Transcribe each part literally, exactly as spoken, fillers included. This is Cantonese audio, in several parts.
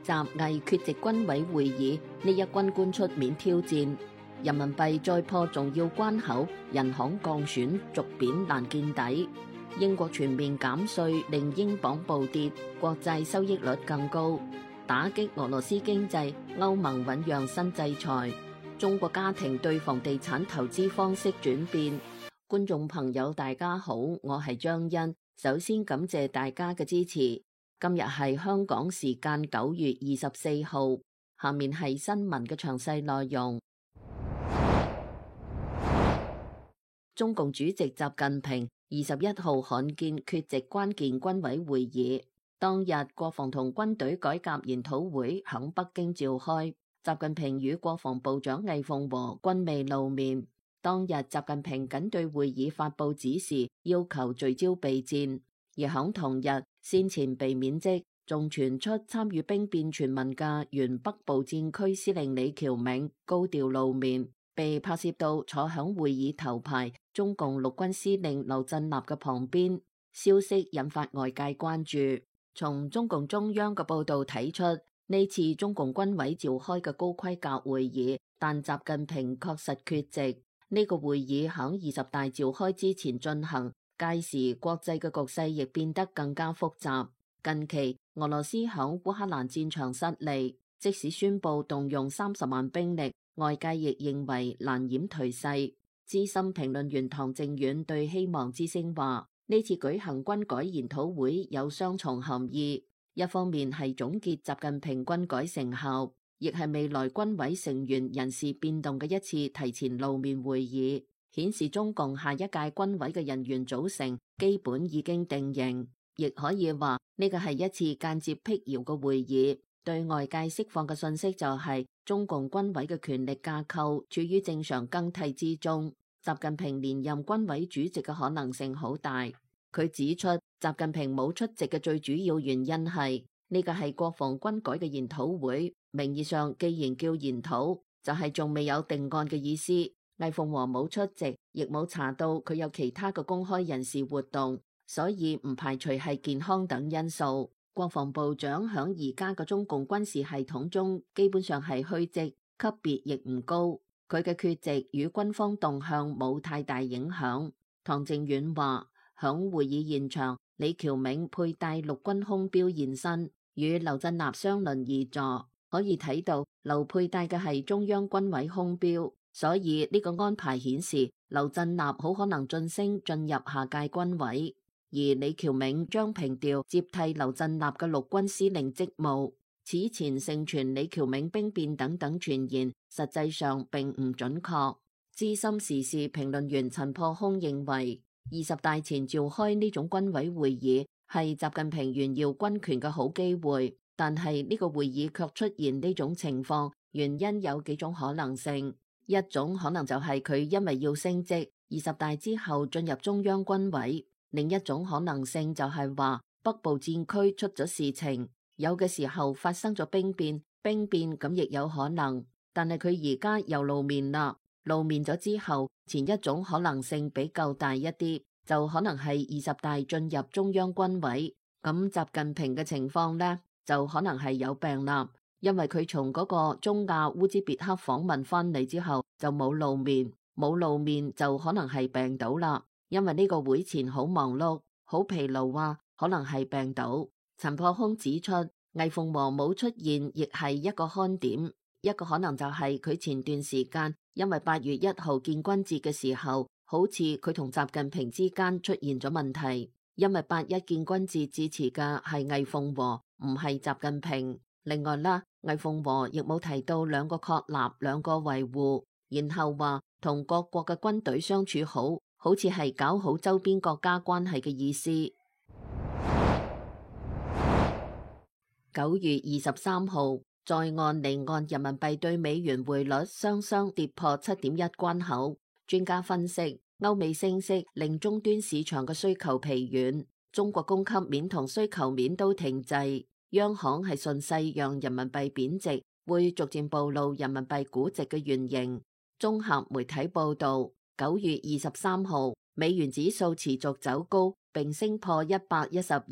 習毅缺席軍委會議，呢一軍官出面挑戰。人民幣再破重要關口，人行降損續貶難見底。英國全面減稅令英鎊暴跌，國債收益率更高。打擊俄羅斯經濟，歐盟醞釀新制裁。中國家庭對房地產投資方式轉變。觀眾朋友大家好，我係張欣，首先感謝大家嘅支持。今日係香港時間九月二十四號，下面係新聞嘅詳細內容。中共主席習近平二十一號罕見缺席關鍵軍委會議，當日國防同軍隊改革研討會響北京召開，習近平與國防部長魏鳳和均未露面。當日習近平僅對會議發佈指示，要求聚焦備戰，而響同日先前被免職，仲傳出參與兵變傳聞嘅原北部戰區司令李喬銘高調露面，被拍攝到坐響會議頭排中共陸軍司令劉振立嘅旁邊，消息引發外界關注。從中共中央嘅報道睇出，呢次中共軍委召開嘅高規格會議，但習近平確實缺席。呢個會議響二十大召開之前進行，屆時國際嘅局勢亦變得更加複雜。近期俄羅斯響烏克蘭戰場失利，即使宣布動用三十萬兵力，外界亦認為難掩頹勢。資深評論員唐靖遠對希望之聲話：呢次舉行軍改研討會有雙重含義，一方面係總結習近平軍改成效，亦係未來軍委成員人事變動嘅一次提前露面會議，顯示中共下一屆軍委嘅人員組成基本已經定型。亦可以話呢個係一次間接闢謠嘅會議，對外界釋放嘅信息就係中共軍委嘅權力架構處於正常更替之中，習近平連任軍委主席嘅可能性好大。佢指出，習近平冇出席嘅最主要原因係呢個係國防軍改嘅研討會，名義上既然叫研討，就係仲未有定案嘅意思。魏鳳和冇出席，亦冇查到佢有其他嘅公開人事活動，所以唔排除係健康等因素。國防部長響而家嘅中共軍事系統中基本上係虛職，級別亦唔高，佢嘅缺席與軍方動向冇太大影響。唐靖遠話，響會議現場，李喬銘佩戴陸軍空標現身，與劉振立相鄰而坐，可以睇到劉佩戴嘅係中央軍委空標，所以呢個安排顯示劉振立好可能晉升進入下屆軍委。而李喬銘將平調接替劉振立嘅陸軍司令職務，此前盛傳李喬銘兵變等等傳言，實際上並唔準確。資深時事評論員陳破空認為，二十大前召開呢種軍委會議係習近平炫耀軍權嘅好機會，但係呢個會議卻出現呢種情況，原因有幾種可能性。一種可能就係佢因為要升職，二十大之後進入中央軍委。另一種可能性就係話北部戰區出咗事情，有嘅時候發生咗兵變，兵變咁亦有可能。但係佢而家又露面啦，露面咗之後，前一種可能性比較大一啲，就可能係二十大進入中央軍委。咁習近平嘅情況呢，就可能係有病啦，因為佢從嗰個中亞烏茲別克訪問翻嚟之後就冇露面，冇露面就可能係病倒啦。因為呢個會前好忙碌，好疲勞啊，可能係病倒。陳破空指出，魏鳳和冇出現，亦係一個看點。一個可能就係佢前段時間因為八月一號建軍節嘅時候，好似佢同習近平之間出現咗問題。因為八一建軍節致辭嘅係魏鳳和，唔係習近平。另外啦，魏鳳和亦冇提到兩個確立、兩個維護，然後話同各國嘅軍隊相處好。好似係搞好周邊國家關係嘅意思。九月二十三號，在岸離岸人民幣對美元匯率雙雙跌破七點一關口。專家分析，歐美升息令終端市場嘅需求疲軟，中國供給面同需求面都停滯。央行係順勢讓人民幣貶值，會逐漸暴露人民幣估值嘅原形。綜合媒體報道，九月二十三號，美元指數持續走高，並升破一百一十二，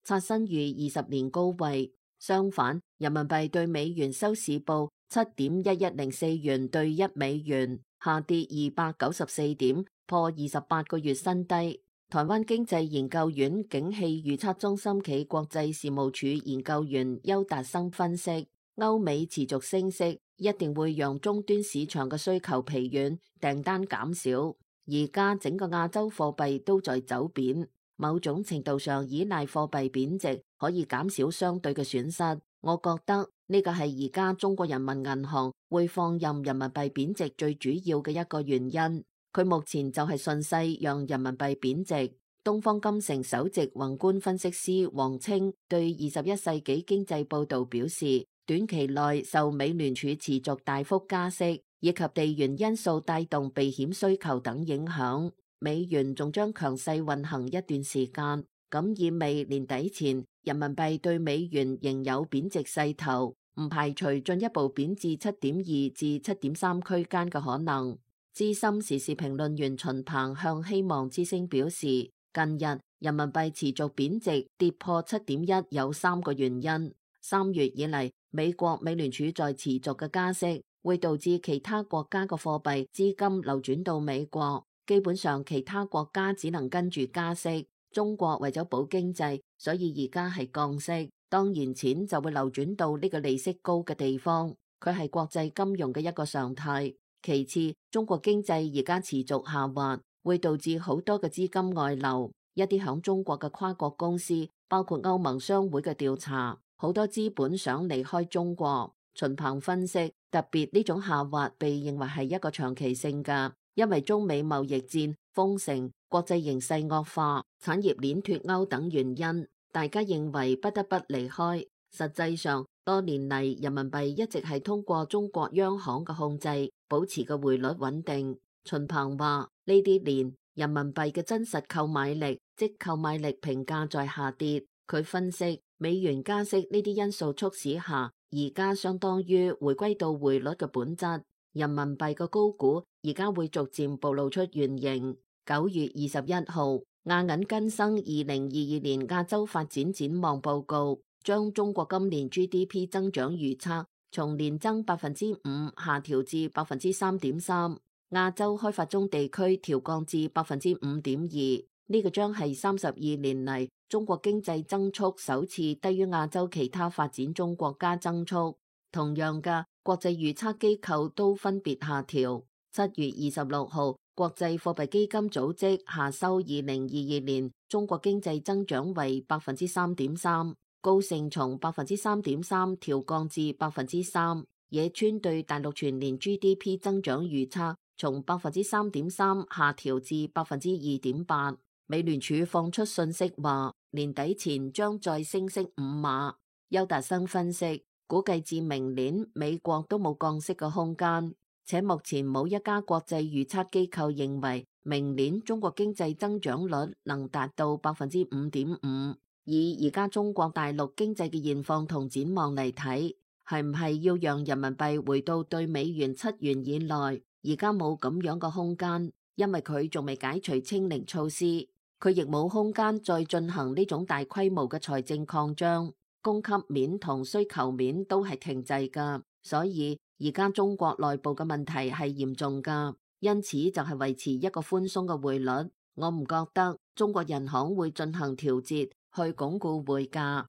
刷新逾二十年高位。相反，人民幣對美元收市報七點一一零四元對一美元，下跌二百九十四點，破二十八個月新低。台灣經濟研究院景氣預測中心暨國際事務處研究員邱達生分析，歐美持續升息一定會讓終端市場嘅需求疲軟，訂單減少。而家整個亞洲貨幣都在走貶，某種程度上依賴貨幣貶值可以減少相對嘅損失。我覺得呢個係而家中國人民銀行會放任人民幣貶值最主要嘅一個原因。佢目前就係順勢讓人民幣貶值。東方金城首席宏觀分析師王清對二十一世紀經濟報導表示，短期內受美聯儲持續大幅加息以及地緣因素帶動避險需求等影響，美元仲將強勢運行一段時間。咁意味年底前人民幣對美元仍有貶值勢頭，唔排除進一步貶至七點二至七點三區間嘅可能。資深時事評論員秦鵬向希望之聲表示，近日人民幣持續貶值跌破七點一有三個原因。三月以嚟，美國美聯儲在持續嘅加息，會導致其他國家嘅貨幣資金流轉到美國，基本上其他國家只能跟住加息。中國為咗保經濟，所以而家係降息，當然錢就會流轉到呢個利息高嘅地方，佢係國際金融嘅一個常態。其次，中國經濟而家持續下滑，會導致好多嘅資金外流。一啲響中國嘅跨國公司，包括歐盟商會嘅調查，好多資本想離開中國。秦鵬分析，特別呢種下滑被認為係一個長期性嘅，因為中美貿易戰、封城、國際形勢惡化、產業鏈脫鈎等原因，大家認為不得不離開。實際上，多年嚟人民幣一直係通過中國央行嘅控制，保持嘅匯率穩定。秦鵬話：呢啲年人民幣嘅真實購買力，即購買力評價在下跌。佢分析，美元加息呢啲因素促使下，而家相當於回歸到匯率嘅本質。人民幣嘅高估而家會逐漸暴露出原形。九月二十一號，亞銀更新二零二二年亞洲發展展望報告，將中國今年 G D P 增長預測從年增百分之五下調至百分之三點三，亞洲開發中地區調降至百分之五點二。呢個將係三十二年嚟中國經濟增速首次低於亞洲其他發展中國家增速。同樣嘅，國際預測機構都分別下調。七月二十六號，國際貨幣基金組織下修二零二二年中國經濟增長為百分之三點三，高盛從百分之三點三調降至百分之三。野村對大陸全年 G D P 增長預測從百分之三點三下調至百分之二點八。美聯儲放出信息話，年底前將再升息五碼。邱達生分析，估計至明年美國都冇降息嘅空間，且目前冇一家國際預測機構認為明年中國經濟增長率能達到百分之五點五。以而家中國大陸經濟嘅現況同展望嚟睇，係唔係要讓人民幣回到對美元七元以內？而家冇咁樣嘅空間，因為佢仲未解除清零措施。佢亦冇空間再進行呢種大規模嘅財政擴張，供給面同需求面都係停滯㗎，所以而家中國內部嘅問題係嚴重㗎，因此就係維持一個寬鬆嘅匯率。我唔覺得中國人行會進行調節去鞏固匯價。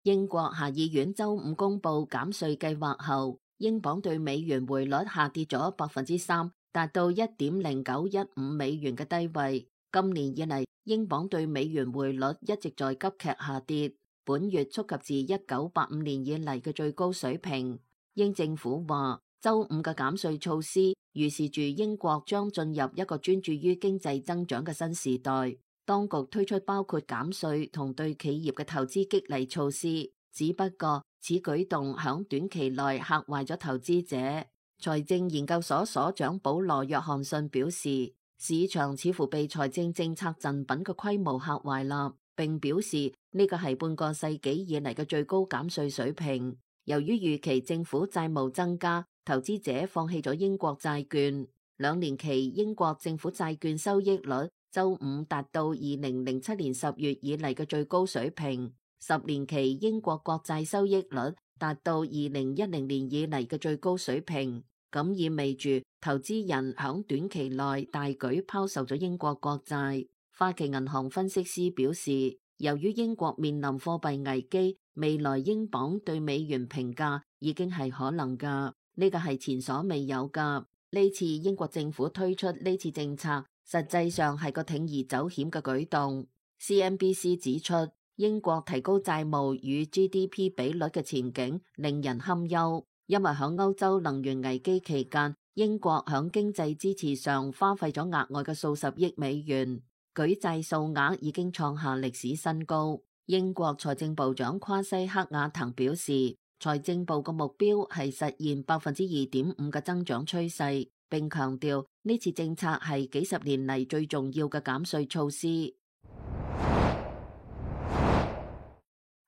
英國下議院週五公佈減稅計劃後，英鎊對美元匯率下跌咗百分之三。達到一點零九一五美元嘅低位。今年以嚟，英鎊對美元匯率一直在急劇下跌，本月觸及至一九八五年以嚟嘅最高水平。英政府話，週五嘅減稅措施預示住英國將進入一個專注於經濟增長嘅新時代。當局推出包括減稅同對企業嘅投資激勵措施，只不過此舉動響短期內嚇壞咗投資者。財政研究所所長保羅約翰遜表示，市場似乎被財政政策贈品嘅規模嚇壞啦，並表示呢個係半個世紀以嚟嘅最高減稅水平。由於預期政府債務增加，投資者放棄咗英國債券。兩年期英國政府債券收益率周五達到二零零七年十月以嚟嘅最高水平，十年期英國國債收益率達到二零一零年以嚟嘅最高水平，咁意味住投資人響短期內大舉拋售咗英國國債。花旗銀行分析師表示，由於英國面臨貨幣危機，未來英鎊對美元評價已經係可能噶，呢個係前所未有噶。呢次英國政府推出呢次政策，實際上係個鋌而走險嘅舉動。C N B C 指出，英國提高債務與 G D P 比率嘅前景令人堪憂，因為響歐洲能源危機期間，英國響經濟支持上花費咗額外嘅數十億美元，舉債數額已經創下歷史新高。英國財政部長夸西克瓦滕表示，財政部嘅目標係實現百分之二點五嘅增長趨勢，並強調呢次政策係幾十年嚟最重要嘅減稅措施。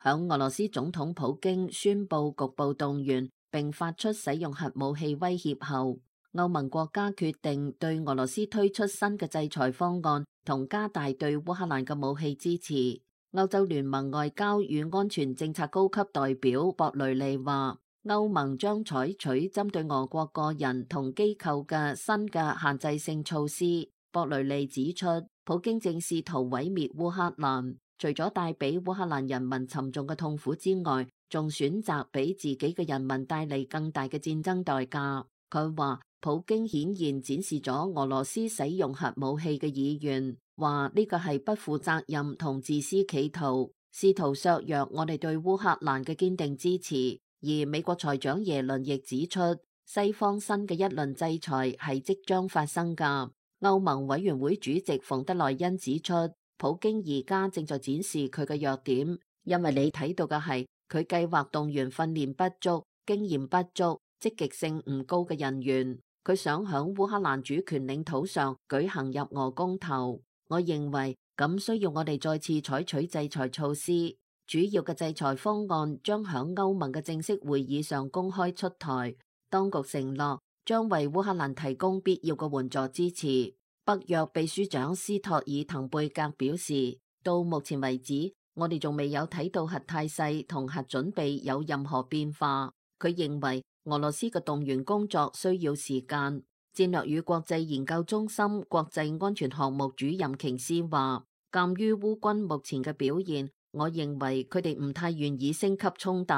響俄羅斯總統普京宣布局部動員並發出使用核武器威脅後，歐盟國家決定對俄羅斯推出新嘅制裁方案，同加大對烏克蘭嘅武器支持。歐洲聯盟外交與安全政策高級代表博雷利話，歐盟將採取針對俄國個人同機構嘅新嘅限制性措施。博雷利指出，普京正試圖毀滅烏克蘭，除咗帶俾烏克蘭人民沉重嘅痛苦之外，仲選擇俾自己嘅人民帶嚟更大嘅戰爭代價。佢話，普京顯然展示咗俄羅斯使用核武器嘅意願，話呢個係不負責任同自私企圖，試圖削弱我哋對烏克蘭嘅堅定支持。而美國財長耶倫亦指出，西方新嘅一輪制裁係即將發生㗎。歐盟委員會主席馮德萊恩指出，普京而家正在展示佢嘅弱點，因為你睇到嘅係佢計劃動員訓練不足、經驗不足、積極性唔高嘅人員。佢想響烏克蘭主權領土上舉行入俄公投，我認為咁需要我哋再次採取制裁措施。主要嘅制裁方案將響歐盟嘅正式會議上公開出台。當局承諾將為烏克蘭提供必要嘅援助支持。北約秘書長斯托爾滕貝格表示，到目前為止，我哋仲未有睇到核態勢同核準備有任何變化。佢認為俄羅斯嘅動員工作需要時間。戰略與國際研究中心國際安全項目主任瓊斯話，鑑於烏軍目前嘅表現，我認為佢哋唔太願意升級衝突。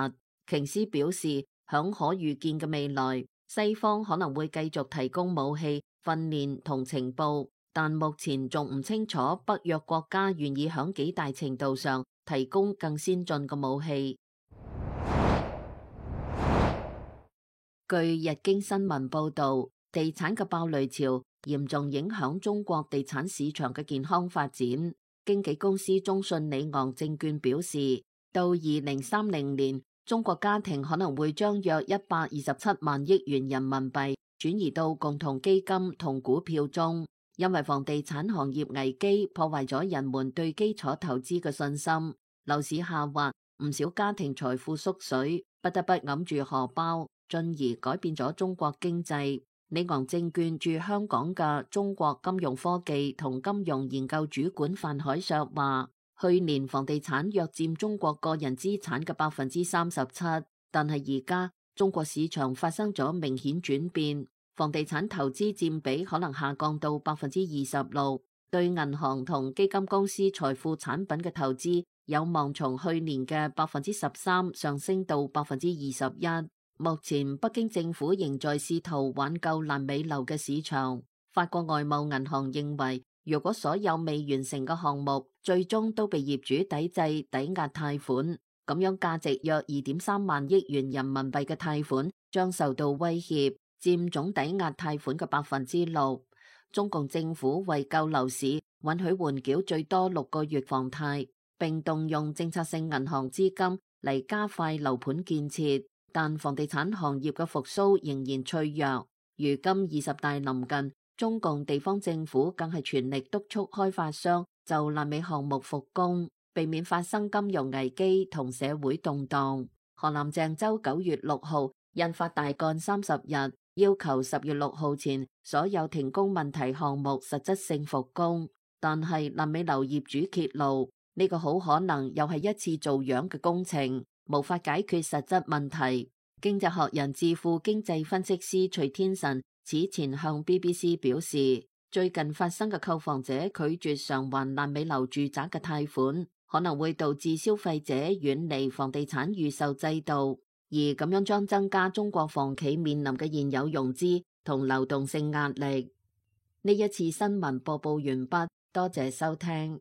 瓊斯表示，響可預見嘅未來，西方可能會繼續提供武器、訓練同情報，但目前仲唔清楚北約國家願意響幾大程度上提供更先進嘅武器。據日經新聞報導，地產嘅爆雷潮嚴重影響中國地產市場嘅健康發展。經紀公司中信里昂證券表示，到二零三零年，中國家庭可能會將約一百二十七萬億元人民幣轉移到共同基金同股票中，因為房地產行業危機破壞咗人們對基礎投資嘅信心，樓市下滑，唔少家庭財富縮水，不得不揞住荷包，進而改變咗中國經濟。里昂證券駐香港嘅中國金融科技同金融研究主管范海碩話，去年房地產約佔中國個人資產嘅百分之三十七，但係而家中國市場發生咗明顯轉變，房地產投資佔比可能下降到百分之二十六，對銀行同基金公司財富產品嘅投資有望從去年嘅百分之十三上升到百分之二十一。目前北京政府仍在試圖挽救爛尾樓嘅市場。法國外貿銀行認為，如果所有未完成嘅項目最終都被業主抵制抵押貸款，咁樣價值約二點三萬億元人民幣嘅貸款將受到威脅，佔總抵押貸款嘅百分之六。中共政府為救樓市，允許緩繳最多六個月房貸，並動用政策性銀行資金嚟加快樓盤建設。但房地產行業嘅復甦仍然脆弱。如今二十大臨近，中共地方政府更係全力督促開發商就爛尾項目復工，避免發生金融危機同社會動盪。河南鄭州九月六號印發大幹三十日，要求十月六號前所有停工問題項目實質性復工。但係爛尾樓業主揭露，呢個好可能又係一次做樣嘅工程，無法解決實質問題。經濟學人智庫經濟分析師徐天臣此前向 B B C 表示，最近發生嘅購房者拒絕償還爛尾樓住宅嘅貸款，可能會導致消費者遠離房地產預售制度，而咁樣將增加中國房企面臨嘅現有融資同流動性壓力。呢一次新聞播報完畢，多謝收聽。